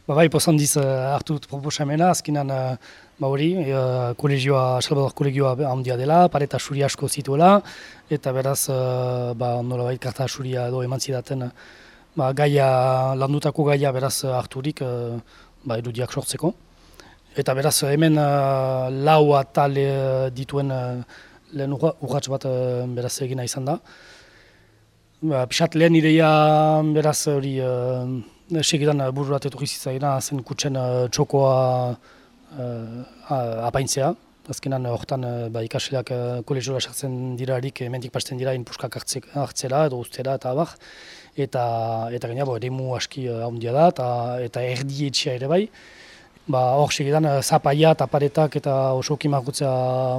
Bai, pozandiz hartu dut proposamena, azkenan hori, kolegioa, Salvador kolegioa handia dela, pareta suri asko zituela, eta beraz, nolabait karta suria edo eman zidaten landutako gaia beraz harturik erudiak sortzeko. Eta beraz, hemen lau atal dituen lehen urrats bat beraz egina izan da. Pixat lehen ideia beraz hori segidan bururat etorri zitzaina zen kutsen txokoa apaintzea. Azkenan horretan ikasleak kolegioa sartzen dirarik hemendik pasten dira inpuskak hartzera edo ustera eta abar. Eta gaina eremu aski handia da eta erdi etxea ere bai. Hor segidan zapaia eta paretak eta osoki margutzea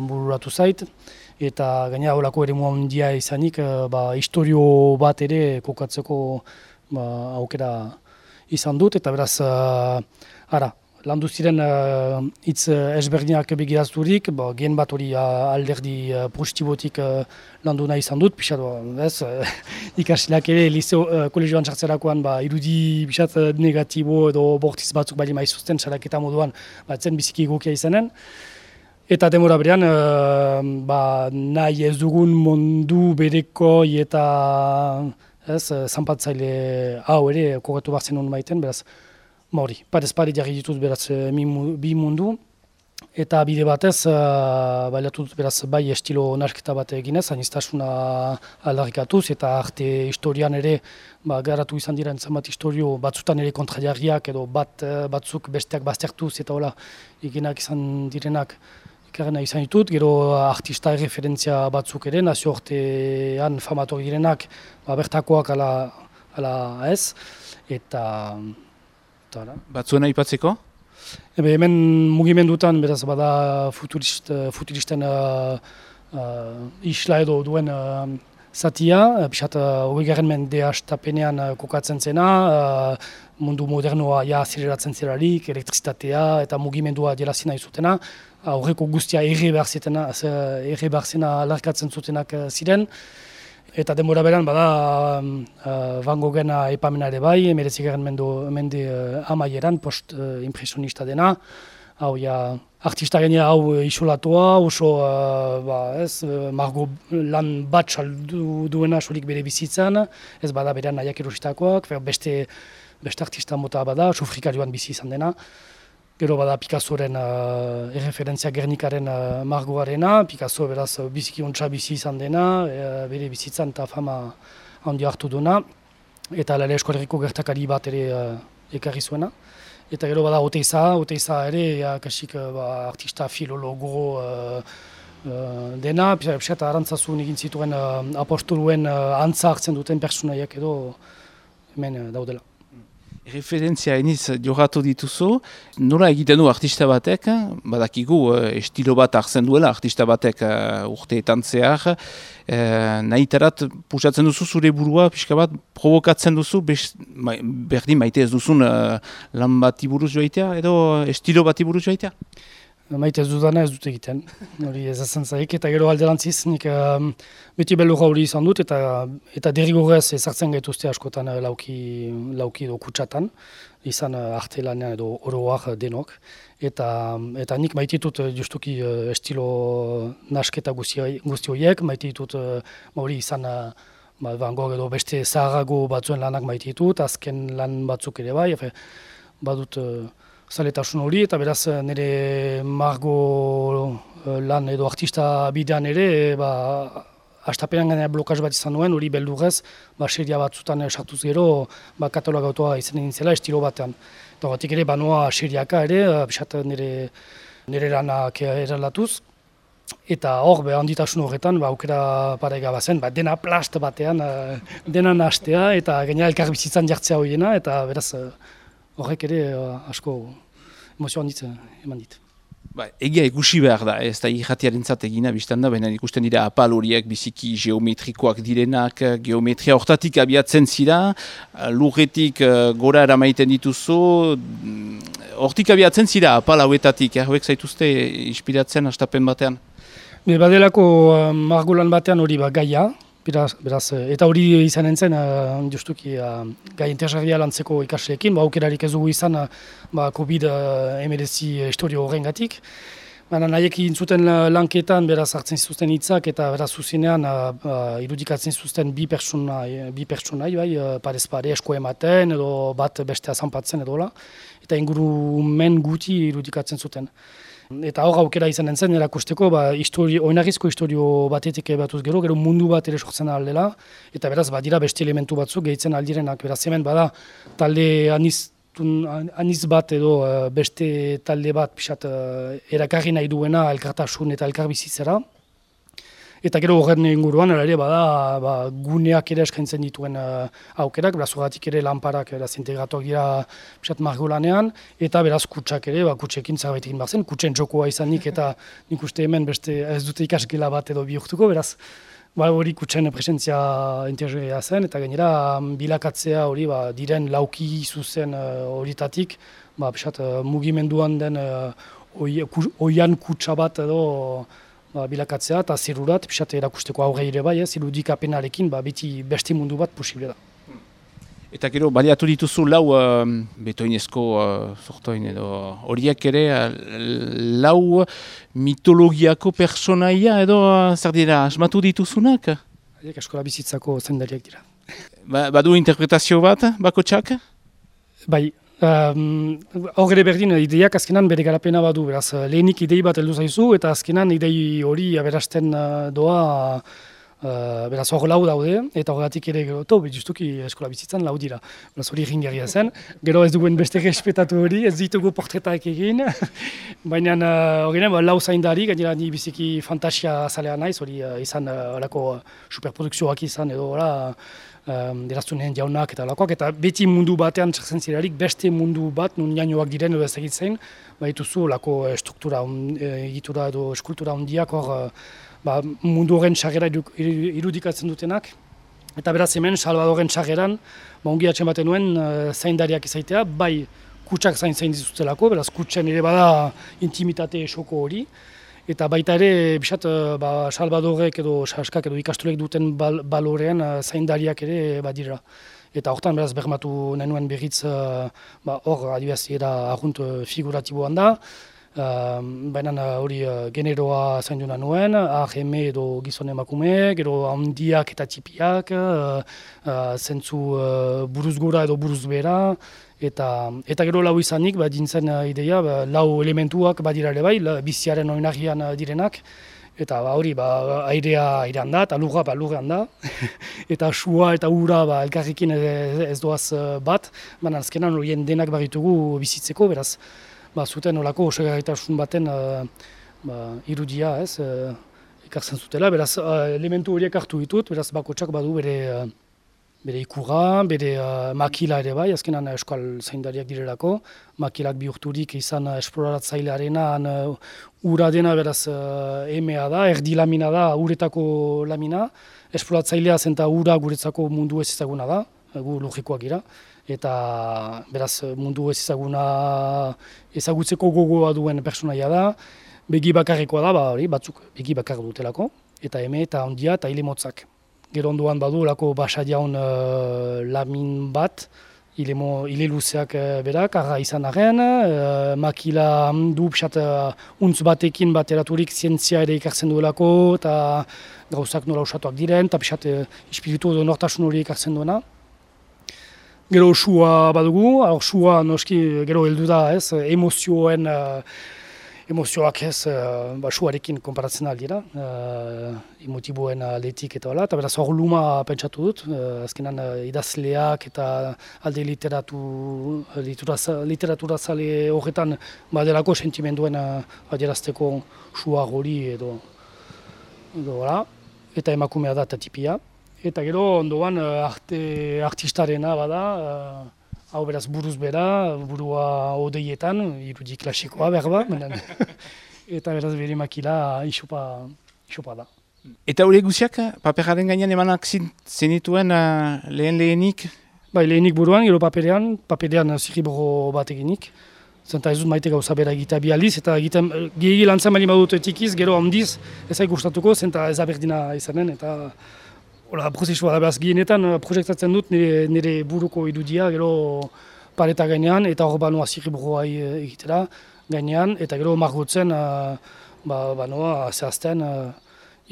bururatu zait. Eta gaina holako eremu handia izanik historio bat ere kokatzeko aukera izan dut. Eta beraz, landu ziren hitz ezberdinak begirazturik, gen bat hori alderdi positibotik landu nahi izan dut, pixat, ikasleak ere kolegioan sartzerakoan irudi pixat negatibo edo bortiz batzuk bali maizuzten saraketa moduan zen biziki egokia izanen. Eta demora berean, nahi ez dugun mundu berekoi eta zanpatzaile hau ere kokatu behar zen hon maiten, beraz, hori, parez pare jarri ditut beraz bi mundu, eta bide batez, baliatu dut beraz bai estilo nasketa bat eginez, aniztasuna aldarrikatuz, eta arte historian ere garatu izan dira entzamat historio batzutan ere kontrajarriak edo batzuk besteak baztertuz eta hola eginak izan direnak ikarrena izan ditut, gero artista referentzia batzuk ere, nazio artean famatori direnak bertakoak ala ez, eta Batzuena aipatzeko? Hemen mugimendutan, beraz, bada futuristen isla edo duen zatia, pixat, 20. mende hastapenean kokatzen zena, mundu modernoa azileratzen zerarik, elektrizitatea eta mugimendua jelazina izutena, aurreko guztia erre behar zena alarkatzen zutenak ziren. Eta denbora beran, bada Van Goghen aipamena ere bai, 19. mende amaieran, post-impresionista dena. Hau, artista genea hau isolatua, oso margo lan bat saldu duena solik bere bizitzan, ez bada berean nahiak erositakoak, beste artista mota bada, sofrikarioan bizi izan dena. Gero bada Picassoren erreferentzia Gernikaren margoarena, Picasso beraz biziki ontsa bizi izan dena, bere bizitzan eta fama handi hartu duena, eta Lale Eskolerriko gertakari bat ere ekarri zuena. Eta gero bada Oteiza ere, kasik artista filologo dena, eta arantzazun egin zituen apostoluen antza hartzen duten personaiak edo hemen daudela. Referentzia eniz jorratu dituzu, nola egiten du artista batek, badakigu estilo bat hartzen duela artista batek urteetan zehar, nahitarat pusatzen duzu zure burua, pixka bat provokatzen duzu, berdin maite ez duzun lan bati buruz joaitea edo estilo bati buruz joaitea? Maite ez dudana ez dut egiten, hori ez ezen zaik, eta gero alderantziz, nik beti belurra hori izan dut, eta derrigorrez ezartzen gaituzte askotan lauki edo kutsatan, izan artelanean edo oroak denok, eta nik maite ditut justuki estilo nasketa guzti horiek, maite ditut hori izan Van Gogh edo beste zaharago batzuen lanak maite ditut, azken lan batzuk ere bai, badut zaletasun hori, eta beraz nire margo lan edo artista bidean ere, hastapenean gainera blokaz bat izan nuen, hori beldurrez, seria batzutan sartuz gero, katalogautua izan egin zela estilo batean. Eta batik ere, banoa seriaka ere, bisat nire lanak errelatuz. Eta hor, handitasun horretan, aukera parega bazen, dena plast batean, dena nahastea, eta gainera elkar bizitzan jartzea horiena, eta beraz, horrek ere asko emozio handitz eman dit. Egia ikusi behar da, ez da irratiarentzat egina biztan da, baina ikusten dira apal horiek biziki geometrikoak direnak, geometria hortatik abiatzen zira, lurretik gora eramaiten dituzu, hortik abiatzen zira apal hauetatik, hauek zaituzte inspiratzen hastapen batean? Badelako margolan batean hori gaia, Beraz, eta hori izan entzen, justuki gai interesgarria lantzeko ikasleekin, aukerarik ez dugu izan COVID-19 historio horrengatik. Baina nahiek egin zuten lanketan, beraz hartzen zituzten hitzak eta beraz zuzenean irudikatzen zituzten bi pertsonai, parez pare esko ematen edo bat bestea zanpatzen edola, eta ingurumen guti irudikatzen zuten. Eta hor aukera izan entzen erakusteko, oinarrizko historio batetik batuz gero mundu bat ere sortzen aldela, eta beraz badira beste elementu batzuk gehitzen aldirenak. Beraz hemen bada talde aniz bat edo beste talde bat pixat erakarri nahi duena elkartasun eta elkarbizitzera. Eta gero horren inguruan ere bada guneak ere eskaintzen dituen aukerak, beraz horretik ere lanparak integratuak dira pixat margolanean, eta beraz kutsak ere, kutsekin zerbait egin behar zen, kutsen txokoa izanik eta nik uste hemen beste ez dute ikasgela bat edo bihurtuko, beraz hori kutsen presentzia interesgarria zen, eta gainera bilakatzea hori diren lauki zuzen horietatik, pixat mugimenduan den oian kutsa bat edo bilakatzea eta zirurat, pixat erakusteko aurre ere bai, irudikapenarekin beti beste mundu bat posible da. Eta gero, baliatu dituzu lau betoinezko sortoin edo horiek ere lau mitologiako personaia edo zer dira, asmatu dituzunak? Haiek eskola bizitzako zendariak dira. Badu interpretazio bat, bakotsak? Bai. Hor ere berdin, ideiak azkenan bere garapena badu, beraz lehenik idei bat heldu zaizu eta azkenan idei hori aberasten doa, beraz hor lau daude eta horregatik ere gero, justuki eskola bizitzan lau dira, beraz hori ringarria zen, gero ez duguen beste respetatu hori, ez ditugu portretaik egin, baina horrean lau zaindari, gainera ni biziki fantasia zalea naiz, hori izan horako superprodukzioak izan edo deraztunen jaunak eta olakoak, eta beti mundu batean txartzen zirarik, beste mundu bat, nun jainoak diren edo ez egitzen, baituzu olako struktura, egitura edo eskultura handiak hor, mundu horren txarrera irudikatzen dutenak. Eta beraz hemen, Salvadoren txarreran, ongi atxen baten nuen zaindariak izaitea, bai kutsak zain dituztelako, beraz kutsen ere bada intimitate esoko hori, eta baita ere, bisat, Salvadorek edo Saskak edo ikastolek duten balorean zaindariak ere badira. Eta hortan beraz bermatu nenuen berriz, hor adibidez era arrunt figuratiboan da, baina hori generoa zainduna nuen, aheme edo gizon emakume, gero handiak eta txipiak, zentzu buruz gora edo buruz bera, eta gero lau izanik, dintzen ideia, lau elementuak badira ere bai, biziaren oinarrian direnak, eta hori airean da, eta lurra lurrean da, eta sua eta ura elkarrekin ez doaz bat, baina azkenan horien denak baritugu bizitzeko, beraz, zuten olako osegarritasun baten irudia ekartzen zutela, beraz elementu horiek hartu ditut, beraz bakotsak badu bere ikurra, bere makila ere bai, azkenan euskal zaindariak direlako, makilak bihurturik izan esploratzailearenan ura dena beraz emea da, erdi lamina da, uretako lamina, esploratzailea zenta ura guretzako mundu ez ezaguna da, gu logikoak gira, eta beraz mundu ez ezaguna ezagutzeko gogoa duen personaia da, begi bakarrekoa da, batzuk begi bakar dutelako, eta eme eta handia eta hile motzak. Gero ondoan badu lako basa jaun lamin bat, hile luzeak berak, arra izan arren, makila du pixat untz batekin bateraturik zientzia ere ikartzen duelako, eta gauzak nola usatuak diren, eta pixat espiritu edo nortasun hori ikartzen duena. Gero sua badugu, sua noski gero heldu da emozioak suarekin konparatzen aldira, emotiboen aldetik eta hola, eta beraz hor luma pentsatu dut, azkenan idazleak eta alde literatura zale horretan badelako sentimenduen adierazteko sua hori edo hola, eta emakumea da eta tipia. Eta gero ondoan artistarena bada, hau beraz buruz bera, burua odeietan, irudi klasikoa berba, eta beraz bere makila isopa da. Eta hori guziak, paperaren gainean emanak zenituen lehenik? Bai, lehenik buruan, gero paperean zirriboro bat eginik. Zenta ez dut maite gauza bera egitea bi aldiz, eta gehiagi lantzen bali badut etikiz, gero handiz ez gustatuko, zenta ez aberdina izanen, eta Hola, prozesua da, beraz, gehienetan proiektatzen dut nire buruko irudia, gero pareta gainean, eta hor banoa zirriburroa egitera gainean, eta gero margotzen banoa zehazten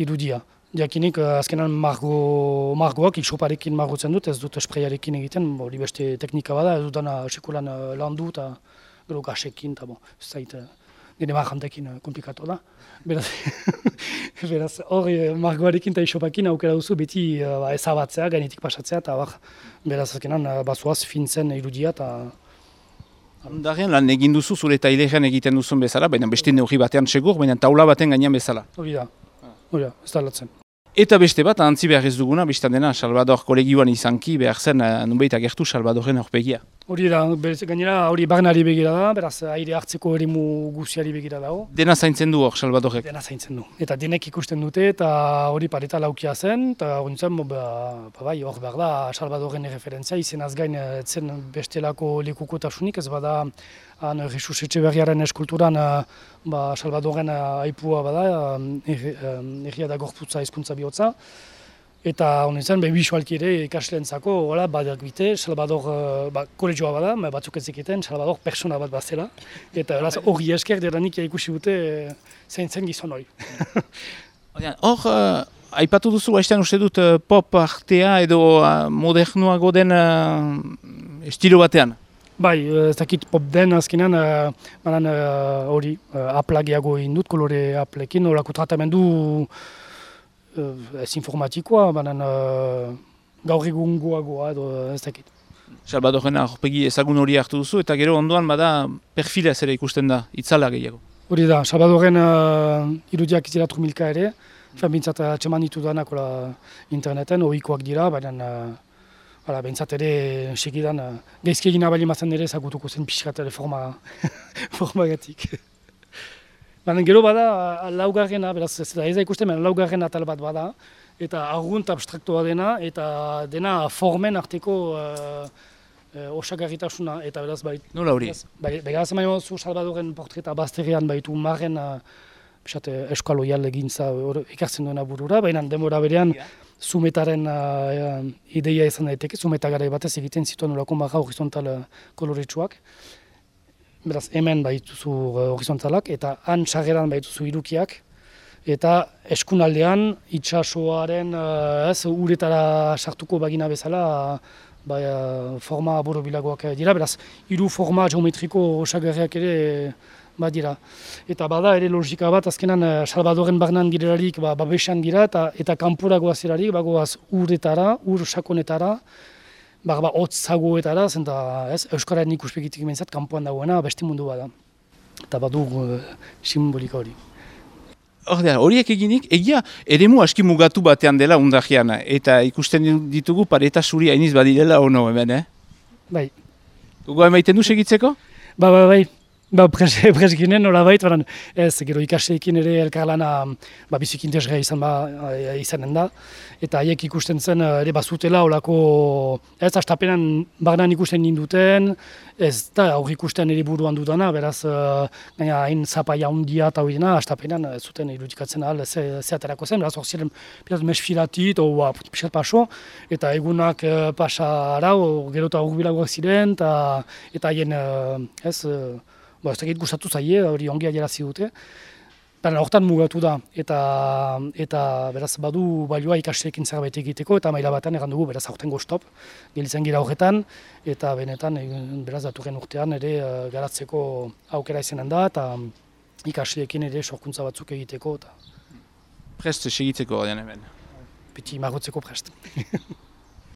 irudia. Diakinik, azkenan margoak iksoparekin margotzen dut, ez dut esprearekin egiten, hori beste teknika bada, ez dut dana sekulan landu eta gero gasekin, eta ez zait, nire margantekin komplikatu da. Beraz, hori margoarekin eta isopakin aukera duzu beti ezabatzea, gainetik pasatzea, eta beraz azkenan bazoaz fintzen irudia eta... Ondarrean lan egin duzu zure tailerean egiten duzun bezala, baina beste neurri batean segur, baina taula baten gainean bezala. Hori da, ez da latzen. Eta beste bat, antzi behar ez duguna, biztan dena, Salvador kolegioan izanki, behar zen, nunbait agertu Salvadoren aurpegia. Hori da, gainera hori barnari begira da, beraz aire hartzeko eremu guziari begira dago. Dena zaintzen du hor Salvadorek? Dena zaintzen du. Eta denek ikusten dute, eta hori pareta laukia zen, eta hori zen, hor behar da Salvadoren referentzia, izenaz gain zen bestelako lekukotasunik, ez bada Jesus Etxeberriaren eskulturan Salvadoren aipua bada, erria da gorputza hizkuntza bihotza. Eta honen zen, bisualki ere ikasleentzako, badak bite, Salvador, kolegioa bada, batzuk ez zeketen, Salvador persona bat bazela. Eta hori esker deranik ikusi dute zein zen gizon hori. Hor, aipatu duzu, haiztean uste dut pop artea edo modernuago den estilo batean? Bai, ez dakit pop den azkenean, hori aplagiago egin dut, kolore aplekin, horako tratamendu ez informatikoa, banan gaur egungoagoa edo ez dakit. Salvadoren aurpegi ezagun hori hartu duzu, eta gero ondoan bada perfila ere ikusten da, itzala gehiago. Hori da, Salvadoren irudiak izela trumilka ere, bintzat atxeman ditu danak interneten, ohikoak dira, baina bintzat ere segidan gaizki egin abali mazen ere ezagutuko zen pixkat ere formagatik. Baina gero bada laugarrena, beraz ez da ikusten, baina laugarrena atal bat bada, eta argunt abstraktoa dena, eta dena formen arteko osagarritasuna, eta beraz baitu. Nola hori? Beraz emaio zu Salvadoren portreta bazterrean baitu marren eskalo jale gintza ekartzen duena burura, baina denbora berean zumetaren ideia izan daiteke, zumeta gara batez egiten zituen olako marra horizontal koloretsuak. Beraz, hemen baituzu horizontalak, eta han sarreran baituzu irukiak, eta eskunaldean itxasoaren uretara sartuko bagina bezala forma borobilagoak dira, beraz, hiru forma geometriko osagarriak ere badira. Eta bada ere logika bat, azkenan Salvadoren barnan direlarik babesan dira, eta kanpora goazerarik bagoaz uretara, ur sakonetara, hotzagoetara, zenta Euskararen ikuspegitik mentzat, kanpoan dagoena beste mundu bada. Eta badu simbolika hori. Horiek eginik, egia eremu aski mugatu batean dela Ondarrian, eta ikusten ditugu pareta zuri hainiz badirela ono hemen, Bai. Dugu emaiten du segitzeko? Bai. Presginen nolabait, ez, gero ikaseekin ere elkarlana biziki interesgarria izanen da. Eta haiek ikusten zen ere bazutela olako, ez, astapenan barnan ikusten ninduten, ez da aurri ikusten ere buruan dudana, beraz, gaina hain zapaia hundia eta hori dena, astapenan ez zuten irudikatzen ahal zeaterako zen, beraz hor ziren mesfilatit, pixat paso, eta egunak pasa arau, gero eta urbilagoak ziren, eta haien, ez dakit gustatu zaie, hori ongi adierazi dute. Baina hortan mugatu da, eta beraz badu balioa ikasleekin zerbait egiteko, eta maila batean egan dugu, beraz aurtengo stop, gelitzen gira horretan, eta benetan, beraz datorren urtean ere garatzeko aukera izanen da, eta ikasleekin ere sorkuntza batzuk egiteko. Prest segitzeko hemen. Beti margotzeko prest.